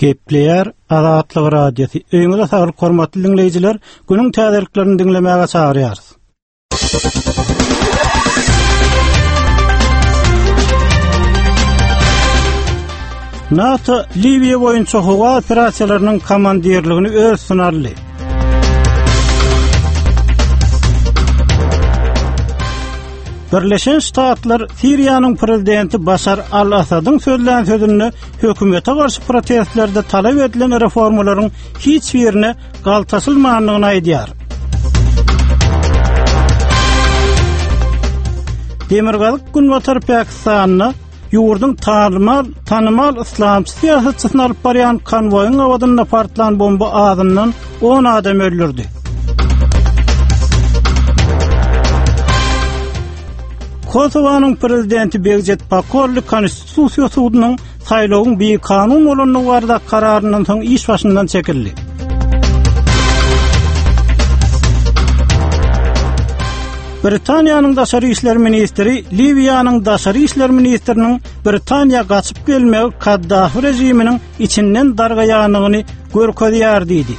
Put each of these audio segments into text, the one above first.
Gepleýär Azatlyk Radiosy. Öýüňize saglyk hormatly diňleýjiler, günüň täzeliklerini diňlemäge çagyrýarys. NATO Liwiýa boýunça howa operasiýalarynyň komandirligini öz üstüne aldy. Birleşen Ştatlar Siriýanyň prezidenti Başar al-Asadyň sözlän sözünde hökümete garşy protestlerde talap edilen reformalaryň hiç birine galtaşylmandygyny aýdýar. Demirgazyk Günbatar Pakistanda ýurduň tanymal, tanymal yslamçy syýasatçysyny alyp barýan konwoýyň gabadynda partlan bomba azyndan 10 adam öldürdi. Kosowanyň prezidenti Begjet Pakolli Konstitusiýa sudunyň saýlawyň bikanun bolandygy barada kararyndan soň iş başyndan çekildi. Britaniýanyň daşary işler ministri Liwiýanyň daşary işler ministriniň Britaniýa gaçyp gelmegi Kaddafi režiminiň içinden dargaýandygyny görkezýär diýdi.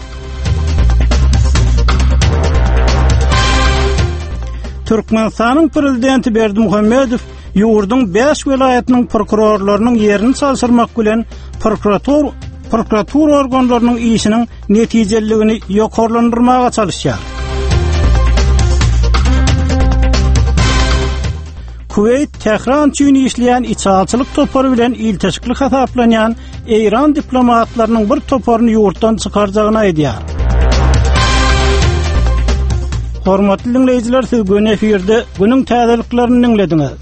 Türkmenistanyň prezidenti Berdimuhamedow ýurduň 5 welaýatynyň prokurorlarynyň ýerini çalşyrmak bilen prokuratur prokuratura organlarynyň işiniň netijeliligini ýokarlandyrmaga çalyşýar. Kuweýt Tähran üçin işleýän içalçylyk topary bilen ilteşikli hasaplanýan Eýran diplomatlarynyň bir toparyny ýurtdan çykarjagyny aýdýar. Hormatly diňleýjiler, siz göni efirde günüň täzeliklerini diňlediňiz.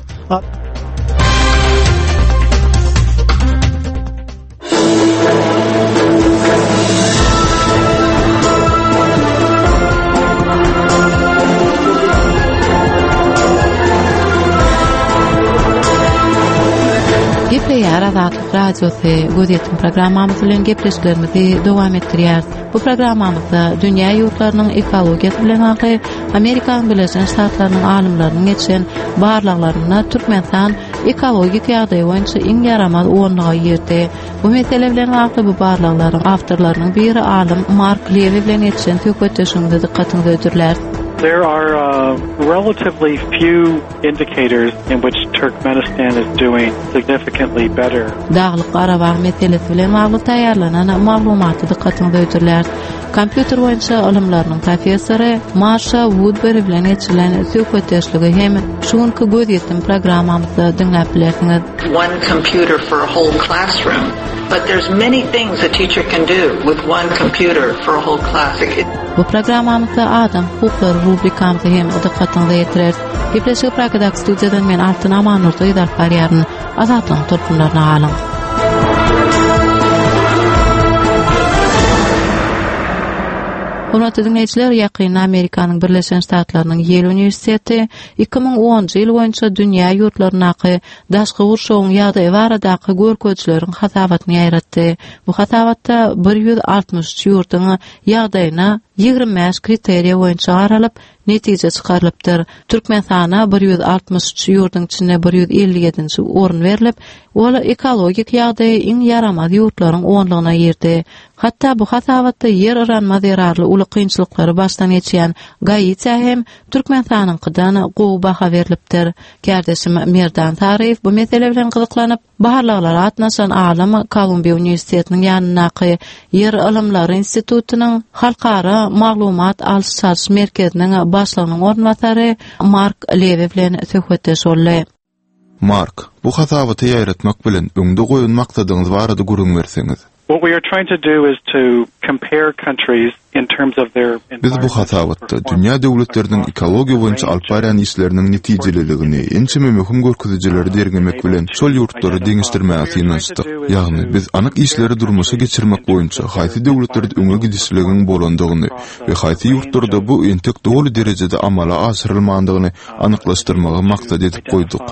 Gepleýär Azatlyk Radiosy gözýetim programmamyz bilen gepleşiklerimizi dowam etdirýäris. Bu programmamyzda dünýä ýurtlarynyň ekologiýasy bilen bagly Amerikanyň Birleşen Ştatlarynyň alymlarynyň geçiren barlaglarynda Türkmenistan ekologik ýagdaýy boýunça iň ýaramaz onluga girdi. Bu mesele bilen bagly bu barlaglaryň awtorlarynyň biri alym Mark Lewi bilen geçiren söhbetdeşligimize dykgatyňyzy hödürläris. There are uh, relatively few indicators in which Turkmenistan is doing significantly better. Daglyk Garabag meselesi bilen bagly taýýarlanan maglumaty dykgatyňyza hödürläris. Kompýuter boýunça ylymlarynyň professory Marşa Wudberi bilen geçirilen söhbetdeşligi hem şu günki Gözýetim programmamyzda diňläp bilersiňiz. One computer for a whole classroom, but there's many things a teacher can do with one computer for a whole class. Bu programmamyzda Adam hukuklary rubrikamyzy hem dykgatyňyza ýetireris. Gepleşigi Pragadaky studiýadan men Altyn Amannurdyýew alyp barýaryn. Azatlygyň tolkunlaryna galyň. Hormatly diňleýjiler, ýakynda Amerikanyň Birleşen Ştatlarynyň Ýel uniwersiteti 2010-njy ýyl boýunça dünýä ýurtlaryndaky daşky gurşawyň ýagdaýy baradaky görkezijileriň hasabatyny ýaýratdy. Bu hasabatda 163 ýurduň ýagdaýyna 25 kriteriýa boýunça garalyp, netije çykarylypdyr. Türkmenistana 163 ýurduň içinde 157-nji orun berlip, ol ekologik ýagdaýy iň ýaramaz ýurtlaryň onlugyna girdi. Hatda bu hasabatda ýer yranma zerarly uly kynçylyklary başdan geçýän Gaitiýa hem Türkmenistanyňkydan gowy baha berlipdir. Kärdeşim Merdan Saryýew bu mesele bilen gyzyklanyp, Barlaglara gatnaşan alym Kolumbiýa uniwersitetiniň ýanyndaky Ýer ylymlary institutynyň Halkara maglumat alyş-çalyş merkeziniň başlygynyň orunbasary Mark Lewi bilen söhbetdeş boldy. Mark, bu hasabaty ýaýratmak bilen öňde goýan maksadyňyz barada gürrüň berseňiz. What we are trying to do is to compare countries Biz bu hasabatda dünýä döwletleriniň ekologiýa boýunça alyp barýan işleriniň netijeliligini, ençeme möhüm görkezijileri derňemek bilen, şol ýurtlary deňeşdirmäge synanyşdyk. Ýagny, biz anyk işleri durmuşa geçirmek boýunça haýsy döwletlerde öňe gidişligiň bolandygyny we haýsy ýurtlarda bu entek doly derejede amala aşyrylmandygyny anyklaşdyrmagy maksat edip goýduk.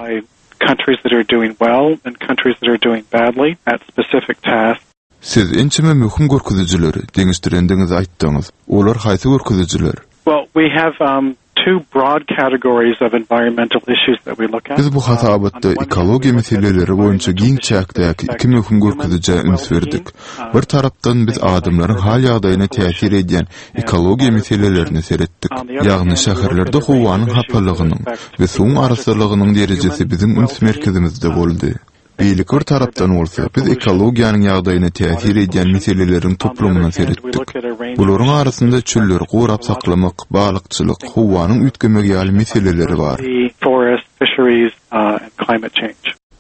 Siz ençeme möhüm görkezijileri deňeşdirendigiňizi aýtdyňyz. Olar haýsy görkezijiler? Well, we have um, two broad categories of environmental issues that we look at. Biz bu hasabatda ekologiýa meseleleri boýunça giň çäkdäki iki möhüm görkezijä üns berdik. Bir tarapdan, biz adamlaryň hal-ýagdaýyna täsir edýän ekologiýa meselelerine seretdik. Ýagny şäherlerde howanyň hapalygynyň we suwuň arassalygynyň derejesi biziň üns merkezimizde boldy. Beýleki bir tarapdan bolsa, biz ekologiýanyň ýagdaýyna täsir edýän meseleleriň toplumyna seretdik. Bularyň arasynda çölleri gorap saklamak, balykçylyk, howanyň üýtgemegi ýaly meseleleri bar.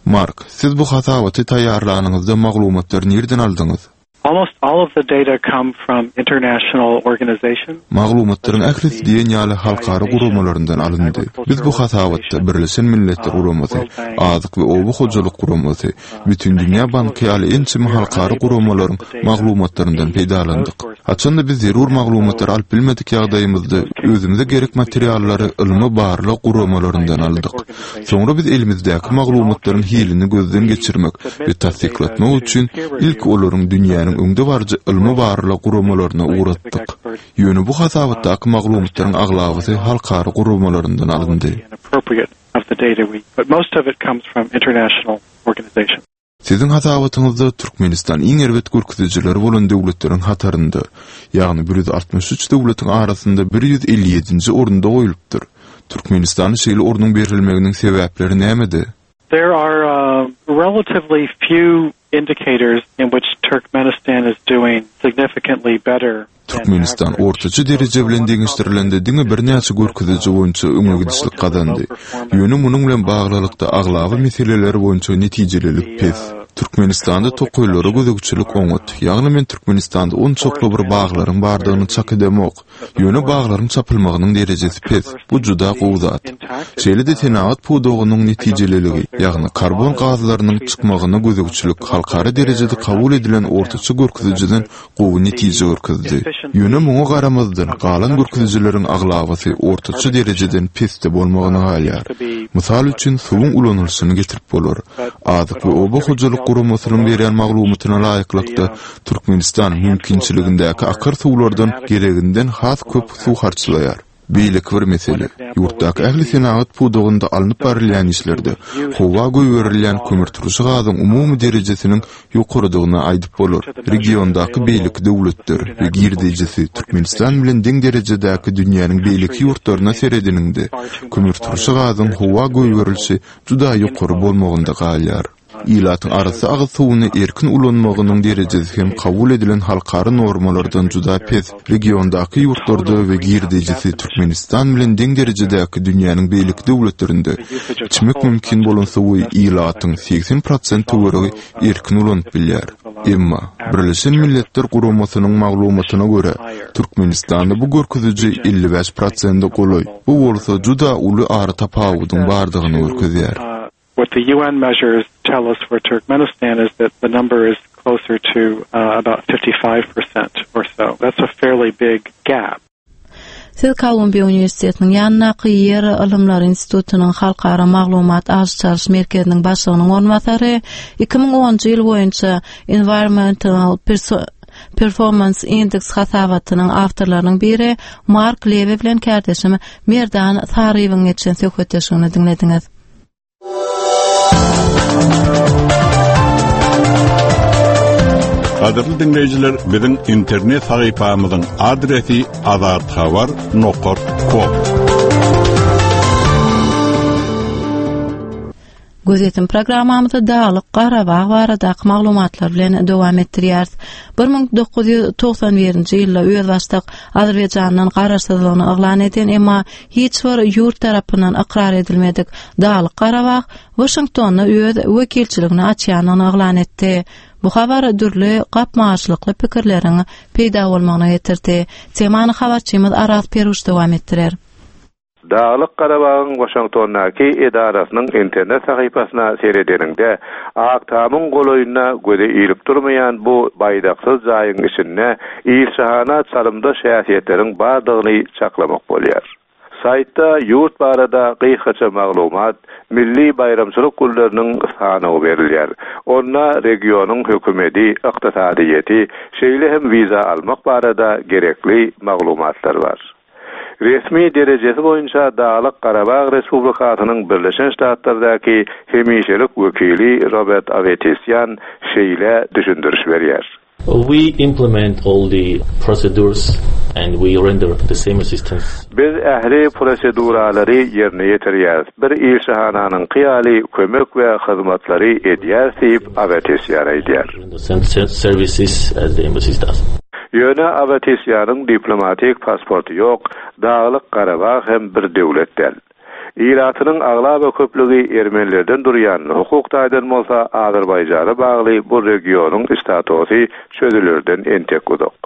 Mark, siz bu hasabaty taýýarlanyňyzda maglumatlary nirden aldyňyz? Almost all of the data come from international organizations. Maglumatlaryň ählisi diýen ýaly halkara guramalaryndan alyndy. Biz bu hasabatda Birleşen Milletler Guramasy, Azyk we oba hojalyk guramasy, Bütindünýä banky ýaly ençeme halkara guramalaryň maglumatlaryndan peýdalandyk. Haçan-da biz zerur maglumatlary alyp bilmedik ýagdaýymyzda, özümize gerek materiallary ylmy-barlag guramalaryndan aldyk. Soňra biz elimizdäki maglumatlaryň hilini gözden geçirmek we tassyklatmak üçin ilki olaryň dünýäniň öňdebaryjy ylmy-barlag guramalaryna ugratdyk. Ýöne bu hasabatdaky maglumatlaryň aglabasy halkara guramalaryndan alyndy. Siziň hasabatyňyzda Türkmenistan iň erbet görkezijileri bolan döwletleriň hatarynda, ýagny 163 döwletiň arasynda 157-nji orunda goýlupdyr. Türkmenistana şeýle ornuň berilmeginiň sebäpleri nämede? There are relatively few indicators in which Turkmenistan is doing significantly better Türkmenistan ortaça dereje bilen deňeşdirilende diňe birnäçe görkeziji boýunça öňe gidişlik gazandy. Ýöne munuň bilen baglylykda aglaba meseleler boýunça netijelilik pes. Türkmenistanda tokaýlara gözegçilik oňat. Ýagny men Türkmenistanda onçakly bir baglaryň bardygyny çak edemok. Ýöne baglaryň çapylmagynyň derejesi pes. Bu juda gowy zat. Şeýle-de senagat pudagynyň netijeliligi, ýagny karbon gazlarynyň çykmagyna gözegçilik halkara derejede kabul edilen ortaça görkezijiden gowy netije görkezdi. Ýöne muňa garamazdan, galan görkezijileriň aglabasy ortaça derejeden pesde bolmagyna galýar. Mysal üçin, suwuň ulanylyşyny getirip bolar. Azyk we oba hojalyk guramasynyň berýän maglumatyna laýyklykda, Türkmenistan mümkinçiligindäki akar suwlardan gereginden has köp suw harçlaýar. Beýleki bir mesele, ýurtdaky ähli senagat pudagynda alnyp barylýan işlerde howa goýberilýän kömürturşy gazyň umumy derejesiniň ýokarydygyny aýdyp bolar. Regiondaky beýleki döwletler we girdejisi Türkmenistan bilen deň derejedäki dünýäniň beýleki ýurtlaryna seredeniňde, kömürturşy gazyň howa goýberilişi juda ýokary bolmagynda galýar. Ilatyň arassa agyz suwuny erkin ulanmagynyň derejesi hem kabul edilen halkara normalardan juda pes. Regiondaky ýurtlarda we girdejisi Türkmenistan bilen deň derejedäki dünýäniň beýleki döwletlerinde içmek mümkin bolan suwy ilatyň 80 prosent töweregi erkin ulanyp bilýär. Emma, Birleşen Milletler Guramasynyň maglumatyna görä, Türkmenistanda bu görkeziji 55 prosente golaý, bu bolsa juda uly aratapawudyň bardygyny görkezýär. What the UN measures tell us for Turkmenistan is that the number is closer to uh, about 55% or so. That's a fairly big gap. Siz Kolumbiýa uniwersitetiniň ýanyndaky Ýer ylymlary institutynyň Halkara maglumat alyş-çalyş merkeziniň başlygynyň orunbasary, 2010-njy ýyl boýunça Environmental Performance Index hasabatynyň awtorlarynyň biri Mark Lewi bilen kärdeşim Merdan Saryýewiň geçen söhbetdeşligini diňlediňiz. Gadyrly diňleýjiler, biziň internet sahypamyzyň adresi azathabar nokat kom. Gözýetim programmamyzy Daglyk Garabag baradaky maglumatlar bilen dowam etdirýäris. 1991-nji ýylda özbaşdak Azerbaýjandan garaşsyzlygyny yglan eden, emma hiç bir ýurt tarapyndan ykrar edilmedik Daglyk Garabag Waşingtonda öz wekilçiligini açýandygyny yglan etdi. Bu habar dürli gapma-garşylykly pikirleriň peýda bolmagyna getirdi. Temany habarçymyz Araz Peruş dowam etdirer. Daglyk Garabagyň Waşingtondaky edarasynyň internet sahypasyna seredeniňde, Ak Tamyň golaýynda göze ilip durmaýan bu baýdaksyz jaýyň içinde ilçihana çalymdaş häsiýetleriň bardygyny çaklamak bolýar. Saýtda ýurt barada gysgaça maglumat, milli baýramçylyk günleriniň sanawy berilýär. Onda regionyň hökümedi, ykdysadyýeti, şeýle hem wiza almak barada gerekli maglumatlar bar. Resmi derejesi boýunça Daglyk Garabag Respublikasynyň Birleşen Ştatlardaky hemişelik wekili Robert Awetisýan şeýle düşündiriş berýär. We implement all the procedures and we render the same assistance. Biz ähli proseduralary ýerine ýetirýäris, bir ilçihananyňky ýaly kömek we hyzmatlary edýäris diýip, Awetisýan aýdýar. Services as the embassies does. Ýöne Awetisýanyň diplomatik pasporty ýok, Daglyk Garabag hem bir döwlet däl. Ilatynyň aglaba köplügi ermenilerden durýan, hukuk taýdan bolsa Azerbaýjana bagly bu regionyň statusy çözülerden entek uzak.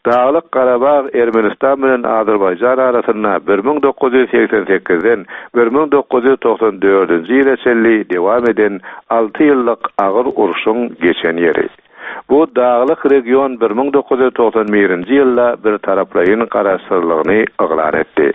Daglyk Garabag Ermenistan bilen Azerbaýjan arasynda 1988-den 1994-nji ýyla çenli dewam eden alty ýyllyk agyr urşuň geçen ýeri. Bu daglyk region 1991-nji ýylda birtaraplaýyn garaşsyzlygyny yglan etdi.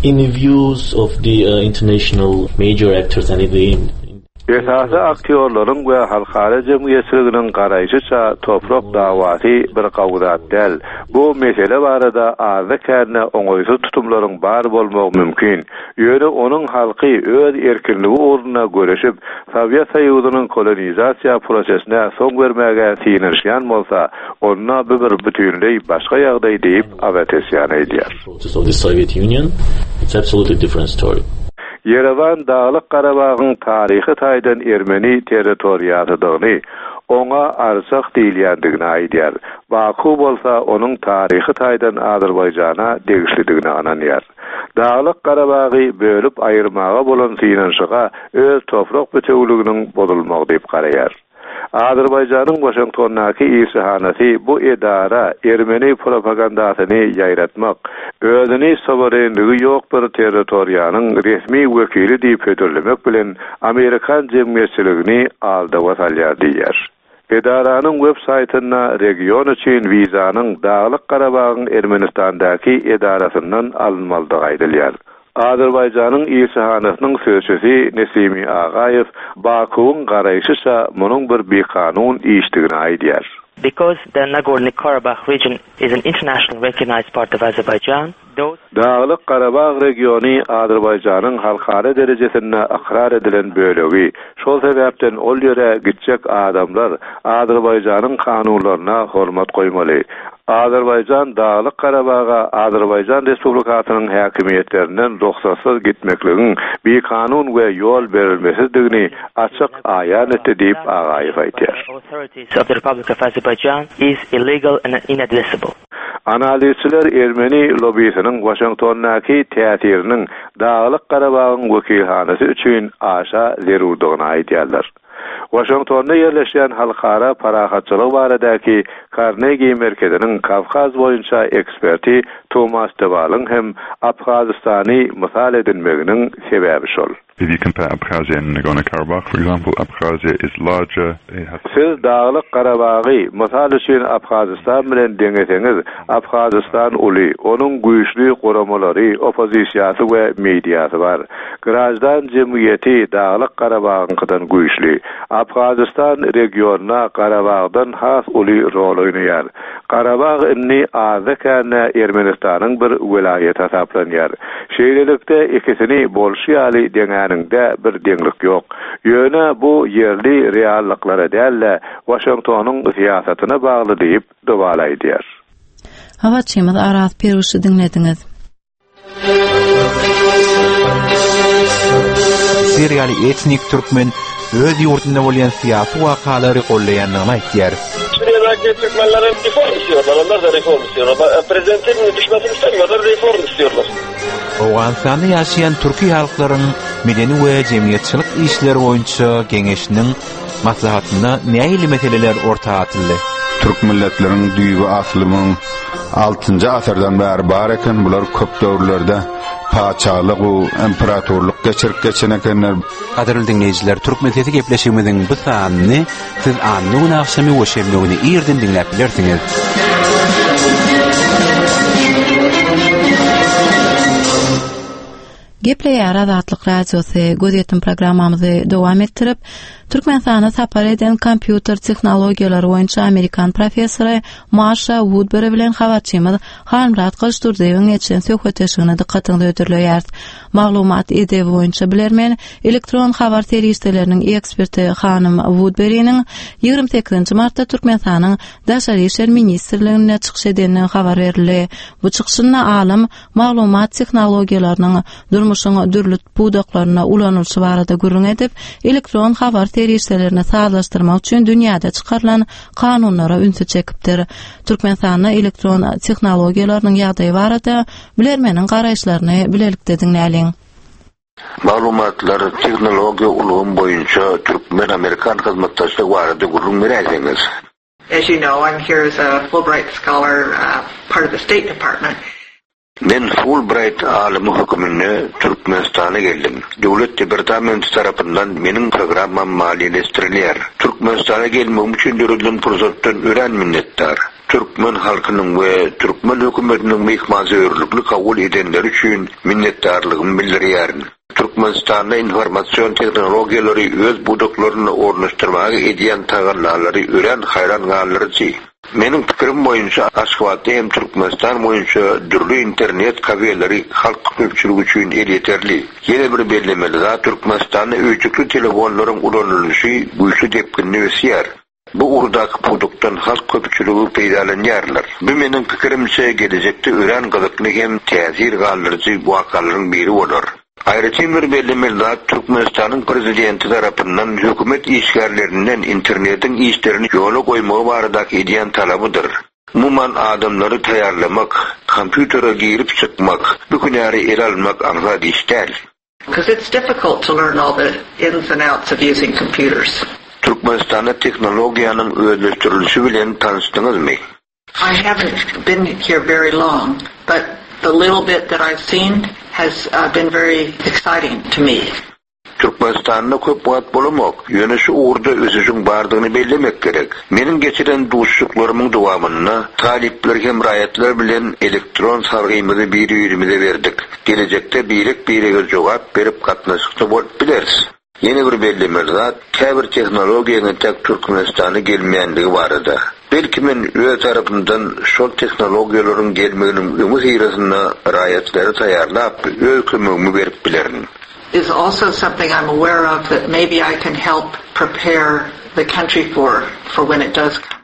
In the views of the international major actors and in the Esasy aktýorlaryň we halkara jemgyýetçiliginiň garaýşyça toprak dawasy bir gawy zat däl. Bu mesele barada azda-kände oňaýsyz tutumlaryň bar bolmagy mümkin. Ýöne onuň halky öz erkinligi ugrunda göreşip, Sowet Soýuzynyň kolonizasiýa prosesine soň bermäge synanyşýan bolsa, onda bu bir bütinleý başga ýagdaý diýip, Awetesýan aýdýar. Ýerewan Daglyk Garabagyň taryhy taýdan ermeni territoriýasydygyny, oňa Artsah diýilýändigini aýdýar. Baku bolsa onuň taryhy taýdan Azerbaýjana degişlidigine ynanýar. Daglyk Garabagy bölüp aýyrmaga bolan synanyşyga öz toprak bitewüliginiň bozulmagy diýip garaýar. Azerbaýjanyň Waşingtondaky ilçihanasy bu edara ermeni propagandasyny ýaýratmak, özüni suwerenligi ýok bir territoriýanyň resmi wekili diýip hödürlemek bilen amerikan jemgyýetçiligini aldawa salýar diýýär. Edaranyň web saýtynda region üçin wizanyň Daglyk Garabagyň Ermenistandaky edarasyndan alynmalydygy aýdylýar. Azerbaýjanyň ilçihanasynyň sözçüsi Nesimi Agaýew Bakuwyň garaýşyça munuň bir bikanun işdigini aýdýar. Because the Nagorny-Karabakh region is an internationally recognized part of Azerbaijan, those. Daglyk Garabag regiony Azerbaýjanyň halkara derejesinde ykrar edilen bölegi, şol sebäpden ol ýere gitjek adamlar Azerbaýjanyň kanunlaryna hormat goýmaly. Azerbaýjan Daglyk Garabaga Azerbaýjan Respublikasynyň häkimiýetlerinden rugsatsyz gitmekligiň bikanun we ýol berilmesizdigini açyk aýan etdi diýip, Agaýew aýdýar. Analizçiler ermeni lobbisiniň Waşingtondaky täsiriniň Daglyk Garabagyň wekilhanasy üçin aşa zerurdygyny aýdýarlar. Waşingtonda ýerleşýän Halkara parahatçylygy baradaky Karnegi merkeziniň Kawkaz boýunça eksperti Tomas de Walyň hem Abhazystany mysal edinmeginiň sebäbi şol. If you compare Abkhazia and Nagorno-Karabakh, for example, Abkhazia is larger, it has. Siz Daglyk Garabagy, mysal üçin, Abhazystan bilen deňeseňiz, Abhazystan uly, onuň güýçli guramalary, oppozisiýasy we mediasy bar. Graždan jemgyýeti Daglyk Garabagyňkydan güýçli. Abhazystan regionda Garabagdan has uly rol oýnaýar. Garabag indi azda-kände Ermenistanyň bir welaýaty hasaplanýar. Şeýlelikde, ikisini bolşy ýaly deňäniňde bir deňlik ýok. Ýöne bu ýerli reallyklara däl-de, Waşingtonyň syýasatyna bagly diýip, Dowal aýdýar. Habarçymyz Araz Piruşy diňlediňiz. Siriýaly etnik türkmen öz ýurdunda bolýan syýasy wakalary goldaýandygyny aýtýar. Suriýadäki türkmenler hem reform istiyorlar, onlar da reform istiyorlar. Prezidentin düşmesini istemiyorlar, reform istiyorlar. Owganystanda ýaşaýan türki halklaryň medeni we jemgyýetçilik işleri boýunça geňeşiniň Maslahatynda nähili meseleler orta atyldy? Türk milletleriň düýbi asly müň altynjy asyrdan bäri bar eken, bular köp döwürlerde patyşalyk u imperatorlyk geçirip geçen ekenler. Gadyrly diňleýjiler, Türkmen sesi gepleşigimiziň bu sanyny siz anna güni agşamy we şenbe güni irden diňläp bilersiňiz. Gepleýär Azatlyk Radiosy, gözýetim programmamyzy dowam etdirip, Türkmenistana sapar eden kompýuter tehnologiýalary boýunça amerikan professory Marşa Wudberi bilen habarçymyz Halmyrat Gylyçdurdyýewiň geçiren söhbetdeşligine dykgatyňyzy hödürleýäris. Maglumat edebi boýunça bilermen, elektron habar serişdeleriniň eksperti hanym Wudberiniň 28 martda Türkmenistanyň Daşary işler ministrliginde çykyş edendigi habar berildi. Bu çykyşynda alym maglumat tehnologiýalarynyň durmuşyň dürli pudaklarynda ulanylyşy barada gürrüň edip, elektron habar serişdelerini sazlaşdyrmak üçin dünýäde çykarylan kanunlara ünsi çekipdir. Türkmenistanda elektron tehnologiýalarynyň ýagdaýy barada bilermeniň garaýyşlaryny bilelikde diňläliň. Maglumatlar, tehnologiýa ulgamy boýunça türkmen-amerikan hyzmatdaşlygy barada gürrüň beräýseňiz? As you know, I'm here as a Fulbright scholar, uh, part of the State Department. Men Fulbright alymy höküminde Türkmenistana geldim. Döwlet departamenti tarapyndan meniň programmam maliýeleşdirilýär. Türkmenistana gelmegim üçin döredilen pursatdan örän minnetdar. Türkmen halkynyň we türkmen hökümetiniň myhmansöýerlikli kabul edenleri üçin minnetdarlygymy bildirýärin. Türkmenistanda informasion tehnologiýalary öz pudaklarynda ornaşdyrmaga edýän tagallalary örän haýran galdyryjy. Meniň pikirim boýunça Aşgabatda hem Türkmenistan boýunça dürli internet kafeleri halk köpçüligi üçin elýeterli. Ýene bir bellemeli zat Türkmenistanda öýjükli telefonlaryň ulanylyşy güýçli depginde ösýär. Bu ugurdaky pudakdan halk köpçüligi peýdalanýarlar. Bu meniň pikirimçe gelejekde örän gyzykly hem täsir galdyryjy wakalaryň biri bolar. Aýratyn bir bellemeli zat Türkmenistanyň Prezidenti tarapyndan hökümet işgärlerinden internetiň işlerini ýola goýmagy baradaky edýän talabydyr. Umuman adamlary taýýarlamak, kompýutere girip çykmak, bu hünäri ele almak aňsat iş däl. Because it's difficult to learn all the ins and outs of using computers. Türkmenistanda tehnologiýanyň özleşdirilişi bilen tanyşdyňyzmy? I haven't been here very long, but the little bit that I've seen has uh, been very exciting to me. Türkmenistanda köp wagt bolamok, ýöne şu ugurda ösüşiň bardygyny bellemek gerek. Meniň geçiren duşuşyklarymyň dowamynda talyplar hem raýatlar bilen elektron salgymyzy bir-birimize berdik. Gelejekde birek-birege jogap berip gatnaşykda bolup bileris. Ýene bir bellemeli zat, käbir tehnologiýaň entäk Türkmenistana gelmeýänligi barada. Belki men öz tarapymdan şol tehnologiýalaryň gelmeginiň öňi syrasynda raýatlary taýýarlap, öz kömegimi berip bilerin. Is also something I'm aware of that maybe I can help prepare the country for, for when it does come.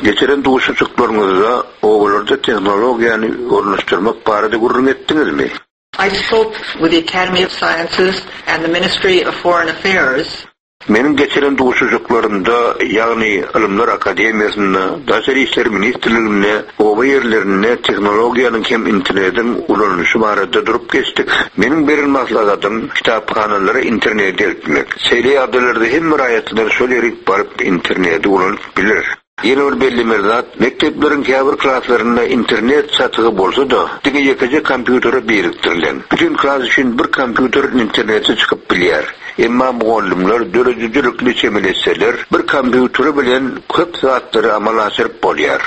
Geçiren duşuşyklaryňyzda obalarda tehnologiýany ornaşdyrmak barada gürrüň etdiňizmi? I spoke with the Academy of Sciences and the Ministry of Foreign Affairs. Meniň geçiren duşuşyklarymda, ýagny Ylymlar akademiýasynda, Daşary işler ministrliginde oba ýerlerinde tehnologiýanyň hem internetiň ulanylyşy barada durup geçdik. Meniň beren maslahatym, kitaphanalara interneti eltmek. Şeýle ýagdaýlarda hemme raýatlar şol ýerik baryp interneti ulanyp biler. Ýene bir bellemeli zat, mekdepleriň käbir klaslarynda internet çatygy bolsa-da, diňe ýekeje kompýutere birikdirilen. Bütin klas üçin bir kompýuter internete çykyp bilýär. Emma mugallymlar döredijilikli çemeleşseler, bir kompýuteri bilen köp zatlary amala aşyryp bolýar.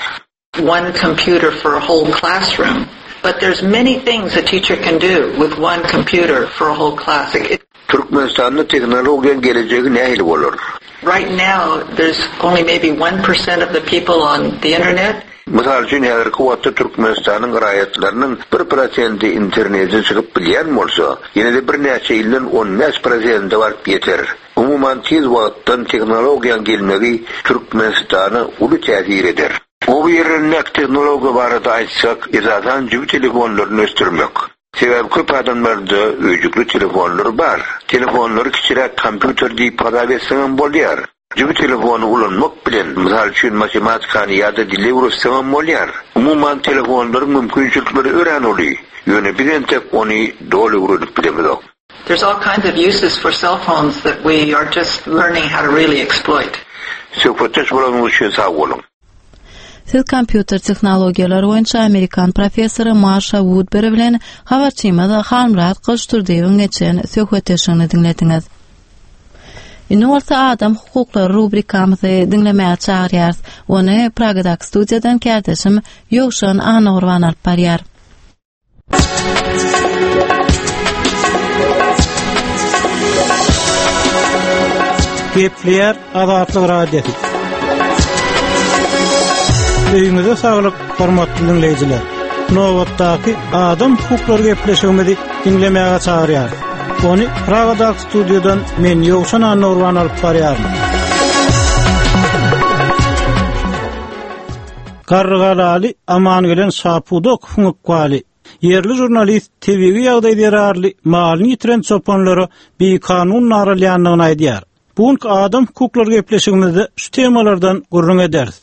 One computer for a whole classroom, but there's many things a teacher can do with one computer for a whole class. It. Türkmenistanda tehnologiýaň gelejegi nähili bolar? Right now there's only maybe 1% of the people on the internet. Mysal üçin, häzirki wagtda Türkmenistanyň raýatlarynyň bir prosenti internete çykyp bilýän bolsa, ýene-de birnäçe ýyldan 15 prosente baryp ýeter. Umuman, tiz wagtdan tehnologiýaň gelmegi Türkmenistana uly täsir eder. Oba ýerlerindäki tehnologiýa barada aýtsak, esasan jübi telefonlaryny ösdürmek. Sebäbi köp adamlarda öýjükli telefonlar bar. Telefonlary kiçiräk kompýuter diýip hasap etseňem bolýar. Jübi telefony ulanmak bilen, mysal üçin, matematikany ýa-da dili öwretseňem bolýar. Umuman, telefonlaryň mümkinçilikleri örän uly. Ýöne biz entek ony doly öwrenip bilemizok. There's all kinds of uses for cell phones that we are just learning how to really exploit. Söhbetdeş bolanyňyz üçin sag boluň. Siz kompýuter tehnologiýalary boýunça amerikan professory Marşa Wudberi bilen habarçymyz Halmyrat Gylyçdurdyýewiň geçiren söhbetdeşligini diňlediňiz. Indi bolsa adam hukuklary rubrikamyzy diňlemäge çagyrýarys. Ony Pragadaky studiýadan kärdeşim Ýowşan Annagurban alyp barýar. Gepleýär Azatlyk Radiosy. Öýüňize saglyk, hormatly diňleýjiler. Nobatdaky adam hukuklary gepleşigimizi diňlemäge çagyrýarys. Ony Pragadaky studiýadan men Ýowşan Annagurban alyp barýaryn. Garrygalaly Amangelen Şapudakowyň ykbaly Ýerli žurnalist tebigy ýagdaý zerarly malyny ýitiren çopanlara bikanun naralýandygyny aýdýar. Bu günki adam hukuklary gepleşigimizde şu temalardan gürrüň ederis.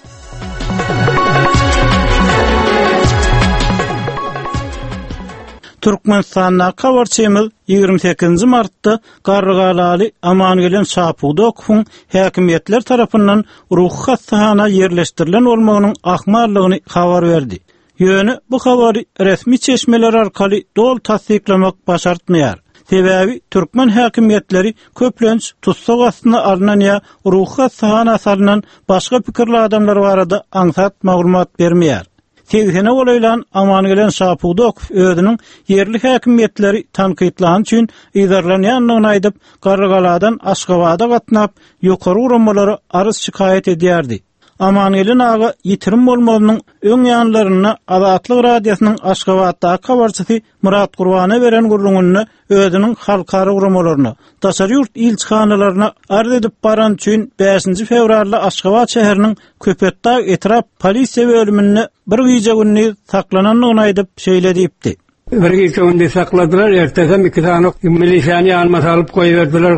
Türkmenistandaky habarçymyz 28-nji martda Garrygalaly Amangelen Şapudakowyň häkimiýetler tarapyndan ruhy hassahana ýerleşdirilen bolmagynyň ahmallygyny habar berdi. Ýöne bu habary resmi çeşmeler arkaly doly tassyklamak başartmaýar. Sebäbi türkmen häkimiýetleri köplenç tussag astyna alnan ýa ruhy hassahana salnan başga pikirli adamlar barada aňsat maglumat bermeýär. Segsene golaýlan Amangelen Şapudakow özüniň ýerli häkimiýetleri tankytlany üçin yzarlanýandygyny aýdyp, Garrygaladan Aşgabada gatnap, ýokary guramalara arz-şikaýat edýärdi. Amangelin aga ýitirim bolmazynyň öň ýanlarynda Azatlyk Radiosynyň Aşgabatdaky habarçysy Myrat Gurbana beren gürrüňinde özüniň halkara guramalaryna, daşary ýurt ilçihanalaryna arz edip barany üçin bäşinji fewralda Aşgabat şäheriniň Köpetdag etrap polisiýa bölüminde bir gije-gündiz saklanandygyny aýdyp, şeýle diýipdi. Bir gije-gündiz sakladylar, ertesem iki sany milisiýany ýanyma salyp goýberdiler,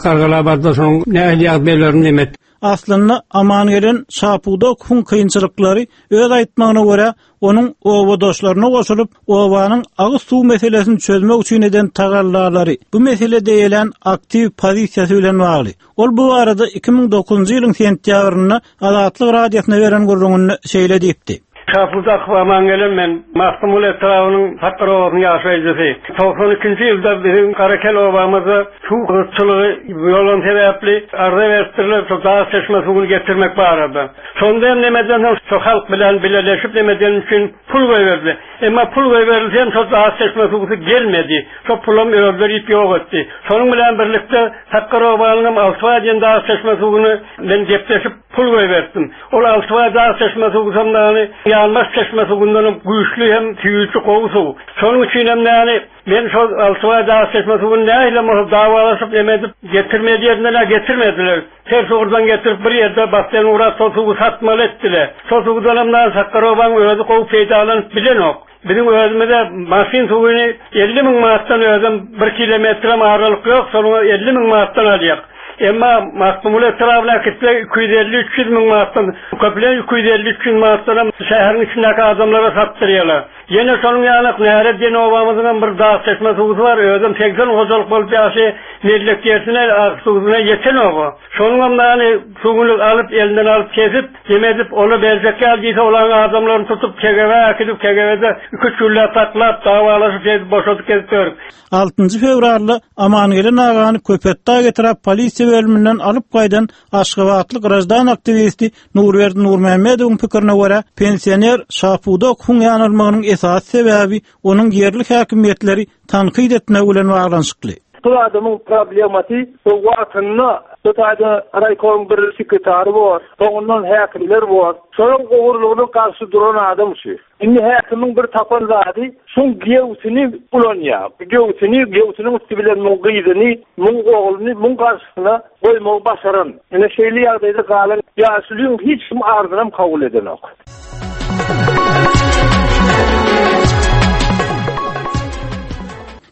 Gargalabatda şoň nähili ýagdaýlaryny nemet. Aslynda Amangelen Şapudakowyň kynçylyklary öz aýtmagyna görä, onuň obadaşlaryna goşulyp, obanyň agyz suw meselesini çözmek üçin eden tagallalary, bu meselede eýelän aktiw pozisiýasy bilen bagly. Ol bu barada 2009-njy ýylyň sentýabrynda Azatlyk Radiosyna beren gürrüňinde şeýle diýipdi. Şapudakow Amangelen men, Magtymguly etrabynyň Sakgar obasynyň ýaşaýjysy. 92-nji ýylda biziň Garakel obamyzda Suw gytçylygy bolan sebäpli arza beripdirler şo dag çeşme suwuny getirmek barada. Şonda hem nemeden soň şo halk bilen bileleşip nemeden üçin pul goýberdi. Emma pul goýberilse hem şo dag çeşme suwsy gelmedi. Şo pulam özleri iýip ýok etdi. Şonuň bilen birlikde Sakgar obanyň hem Altybaý diýen dag çeşme suwuny men gepleşip pul goýberipdim. Ol Altybaý dag çeşme suwsam dagny Ýanbaş çeşme suwundanam güýçli hem süýji gowy suw. Şonuň üçin hem dagny Men şol Altybaý dag çeşme suwuny nähilem bolsa dawalaşyp neme edip getirmeli ýerinden-ä getirmediler. Ters ugurdan getirip bir ýerde basseýn gurap şol suwy satmaly etdiler. Şol suwdanam nan Sakgarowaň özi gowy peýdalanyp bilenok. Biziň özümize maşyn suwyny 50 müň manatdan özem bir kilometrem aralyk ýok şonuňa 50 müň manatdan alýak. Emma Magtymguly etrabyna äkitse 250-300 müň manatdan köplenç 250-300 manatdanam şäheriň içindäki adamlara satdyrýarlar. Ýene şonuň ýalak Näre diýen obamyzyňam bir dag çeşme suwsy bar, özem 80 hojalyk bolup ýaşy mellek ýersine agyz suwuna ýetenog-a. Şonuňam nany suwuny alyp, elinden alyp kesip, neme edip, ola berjek ýaly diýse, olaň adamlaryny tutup KGB-ä äkidip, KGB-de iki-üç günläp saklap, dawalaşyp şeýdip boşadyp gezip ýörük. Altynjy fewralda Amangelen agany Köpetdag etrap polisiýa bölüminden alyp gaýdan Aşgabatly graždan aktiwisti Nurberdi Nurmämmedowyň pikirine görä, pensioner Şapudakowyň ýanalmagynyň esasy sebäbi onuň ýerli häkimiýetleri tankyt etmegi bilen baglanyşykly. Bu adamyň problemasy bu wagtynda bu taýda raýkomyň bir sekretary bor, soňundan häkimler bor. Şolaň ogurlygyna garşy duran adam şu. Indi häkimiň bir tapan zady şuň giýewsini ulanýar. Giýewsini, giýewsiniň üsti bilen muň gyzyny, muň ogluny muň garşysyna goýmagy başaran. Ine şeýle ýagdaýda galan ýaşulyň hiç kim arzynam kabul edenok.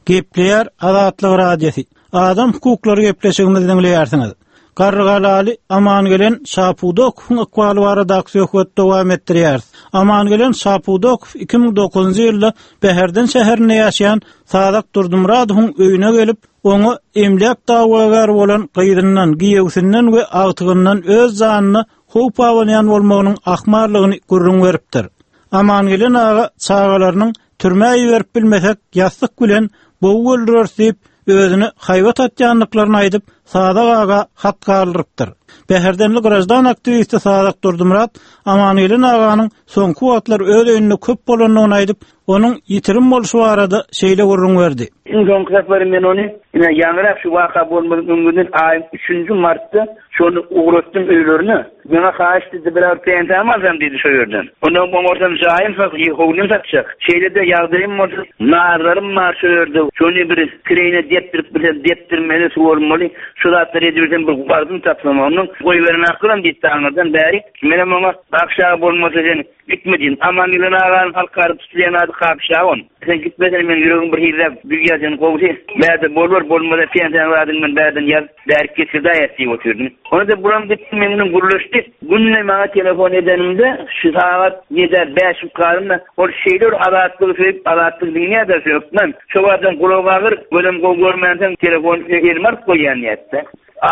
Gepleýär Azatlyk Radiosy. Adam hukuklary gepleşigimizi diňleýärsiňiz. Garrygalaly Amangelen Şapudakowyň ykbaly baradaky söhbeti dowam etdirýäris. Amangelen Şapudakow 2009-njy ýylda Bäherden şäherinde ýaşaýan Sazak Durdymyradowyň öýüne gelip, oňa emläk dawagäri bolan gyzyndan, giýewsinden we agtygyndan öz janyna howp abanýan bolmagynyň ahmallygyny gürrüň beripdir. Amangelen aga çagalarynyň türmä iberip bilmesek, ýassyk bilen bogup öldüreris diýip, özüne haýbat atýandyklaryny aýdyp, Sazak aga hat galdyrypdyr. Bäherdenli graždan aktiwisti Sazak Durdymyrat Amangelen aganyň soňky wagtlar öz öýünde köp bolandygyny aýdyp, onuň ýitirim bolşy barada şeýle gürrüň berdi. Iň soňky sapary men ony, ine, ýaňyrak şu waka bolmazyň öňünden aýyň üçünji martda şony ugratdym öýlerine. Maňa haýyşt etdi, bir agyr pensiýamy alsam diýdi şo ýerden. Ondan oňarsam jaýym sat, howlym satjak. Şeýle-de ýagdaýym bolsa, nazarym bar şo ýerde, şony bir kireýine depdirip bilsem depdirmeli, suwarmaly, şu zatlary edibilsem bir wagtym tapsam ondan goýberenakdyram diýipdi aňyrdan bäri. Menem oňa, Kakşy aga bolmasa sen gitme diýdim. Amangeldi aganyň halkara tutulýan ady Kakşy aga onuň. Sen gitmesene meň ýüregim bir hiliräk duýýar seni gowusy. Bärde bolbar, bolmasa pensiýaň zadyny men bärden ýazyp bärik getirdaýas diýip otyrdym. Onda bulam gitdi meň bilen gürleşdi. Günde maňa telefon edeninde şu sagat ýedä bäş galanda ol şeýle bir Azatlygy söýüp Azatlygy diňleýärdi şu hökman. Şo wagtam gulagy agyr, gözem gowy görmänsoň telefony elime alyp goýýan diýýärdi.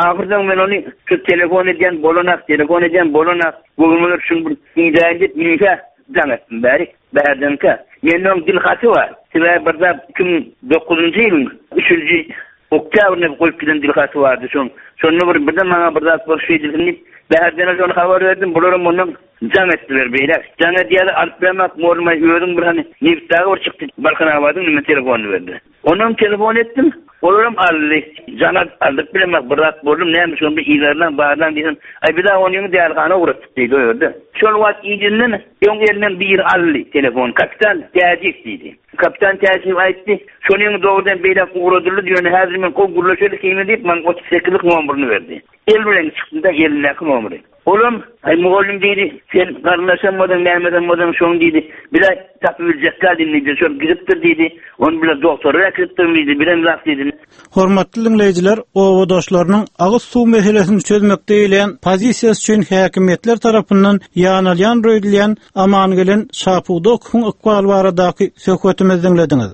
Ahyrsoň men ony şu telefon edýän bolanak, telefon edýän bolanak, göwnüme bir şuny bir diňläýin diýip münkä jaň etdim bärik, bärdenkä. Mende oň dil haty bar. Sebäbi bir zat 2009-njy ýylyň üçünji oktýabrynda goýup giden dil haty bardy şoň. Şonda bir birden maňa bir zat bolup şeýdilsin diýip, bärdene şony habar berdim, bularam ondan jaň etdiler beýläk. Jaň edýärler, alyp bermek, mugallym aý özüň bir hany Nebitdaga bir çykdy, Balkanabadyň nime telefonyny berdi. Onam telefon etdim, olaram aldy. Jana aldyryp bilemok, bir zat boldum, näme şony bir yzarlaň, barlaň diýsem, aý biz-ä onyňy dälihana ugratdyk diýdi o ýerde. Şol wagt ijinden öň elinden biri aldy telefony, kapitan Täjiýew diýdi. Kapitan Täjiýew aýtdy, şonyňy dogrudan beýläk ugradyldy, ýöne häzir men gowy gürleşeli kime diýip, maňa 38-lik nomerini berdi. El bilen çykdy-da elindäki nomeri. Olam, Aý, mugallym diýdi, sen garyndaşam bolsaň, nämesem bolsaň, şoň diýdi, bir-ä tapyp biljek däl indi diýdi, şol gidipdir diýdi, ony bile dogtora äkidipdirmi diýdi, bilemzok diýdi. Hormatly diňleýjiler, obadaşlarynyň agyz suw meselesini çözmekde eýleýän pozisiýasy üçin häkimiýetler tarapyndan ýanalýan öýdülýän Amangelen Şapudakowyň ykbaly baradaky söhbetimizi diňlediňiz.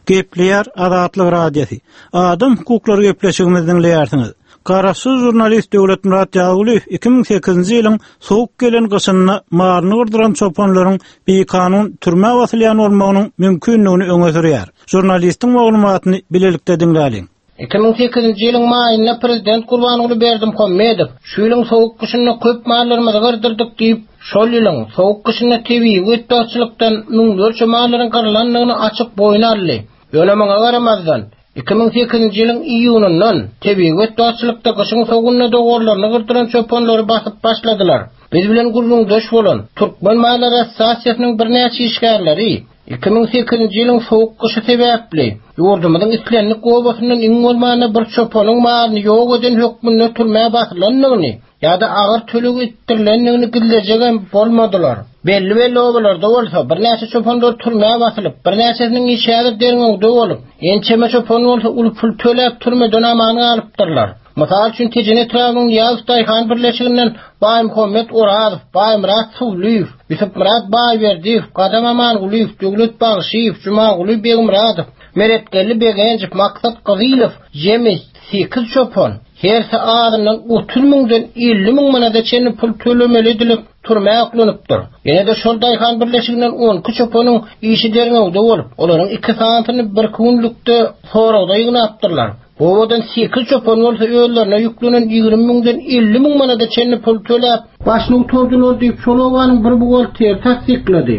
Gepleýär Azatlyk Radiosy. Adam hukuklary gepleşigimizi diňleýärsiňiz. Garaşsyz žurnalist Döwletmyrat Ýazgulyýew 2008-nji ýylyň sowuk gelen gyşynda malyny gyrdyran çopanlaryň bikanun türmä basylýan bolmagynyň mümkindigini öňe sürýär. Žurnalistiň maglumatyny bilelikde diňläliň. 2008-nji ýylyň maýynda prezident Gurbanguly Berdimuhamedow şu ýylyň sowuk gyşynda köp mallarymyzy gyrdyrdyk diýip, şol ýylyň sowuk gyşynda tebigy betbagtçylykdan müňlerçe mallaryň gyrylandygyny açyk boýun aldy. Ýöne muňa garamazdan, 2008-nji ýylyň iýunyndan tebigy betbagtçylykda gyşyň sowugynda dowarlaryny gyrdyran çopanlary basyp başladylar. Biz bilen gürrüňdeş bolan Türkmen mallar assosiasiýasynyň birnäçe işgärleri 2008-nji ýylyň sowuk gyşy sebäpli, ýurdumyzyň islendik obasyndan iň bolmanda bir çopanyň malyny ýok eden hökmünde türmä basylandygyny ýa-da agyr töleg etdirilendigini gizlejegem bolmadylar. Belli-belli obalarda bolsa, birnäçe çopanlar türmä basylyp, birnäçesiniň işi häzir derňewde bolup, ençeme çopan bolsa uly pul töläp türmeden aman galypdyrlar. Mysal üçin, Tejen etrabynyň Nyýazow daýhan birleşiginden Baýmuhammet Orazow, Baýmyrat Suwlyýew, Ýusupmyrat Baýberdiýew, Gadam Amangulyýew, Döwlet Bagşyýew, Jumaguly Begmyradow, Meretgeldi Begenjow, Maksat Gyzylow jemi sekiz çopan, hersi azyndan 30 müňden 50 müň manada çenli pul tölemeli edilip, türmä oklanypdyr. Ýene-de şol daýhan birleşiginden on iki çopanyň işi derňewde bolup, olaryň iki sanysyny birki günlükde soragda ýygnapdyrlar. Obadan sekiz çopan bolsa özlerine ýüklenen 20 müňden 50 müň manada çenli pul töläp, başyny gutardylar diýip, şol obanyň bir buhgalteri tassyklady.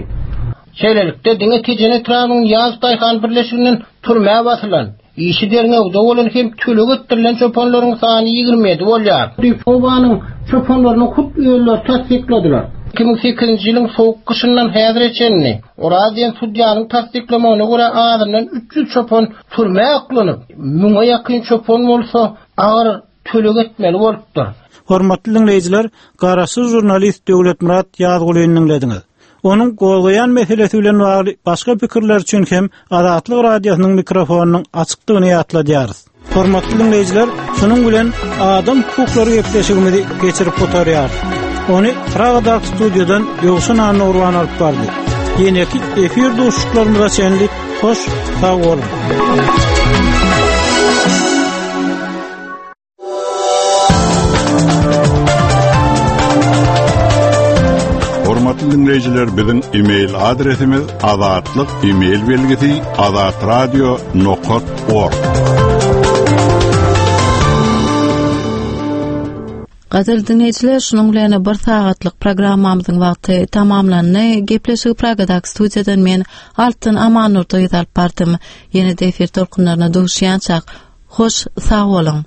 Şeýlelikde, diňe Tejen etrabynyň Ýaz daýhan birleşiginden türmä basylan, işi derňewde bolan hem töleg etdirilen çopanlaryň sany 27 bolýar. Diýip, obanyň çopanlarynyň hut özleri tassykladylar. 2008-nji ýylyň sowuk gyşyndan häzire çenli, Oraz diýen sudýanyň tassyklamagyna görä, azyndan 300 çopan Türmä oklanyp, müňe ýakyn çopan bolsa agyr töleg etmeli bolupdyr. Hormatly diňleýjiler, garaşsyz žurnalist Döwletmyrat Ýazgulyny diňlediňiz. Onuň gozgaýan meselesi bilen bagly başga pikirler üçin hem Azatlyk Radiosynyň mikrofonynyň açykdygyny ýatladýarys. Hormatly diňleýjiler, şunuň bilen adam hukuklary gepleşigimizi geçirip gutarýarys. Ony Pragadaky studiýadan Ýowşan Annagurban alyp bardy. Ýeneki efir duşuşyklarymyza çenli hoş sag boluň. Hormatly. Hormatly diňleýjiler, biziň e-mail adresimiz azatlyk e-mail belgisi azatradio nokat org. Gadyrly diňleýjiler, şunuň bilen bir sagatlyk programmamyzyň wagty tamamlandy. Gepleşigi Pragadaky studiýadan men Altyn Amannurdyýew alyp bardym. Ýene-de efir tolkunlaryna duşýançak, hoş sag boluň!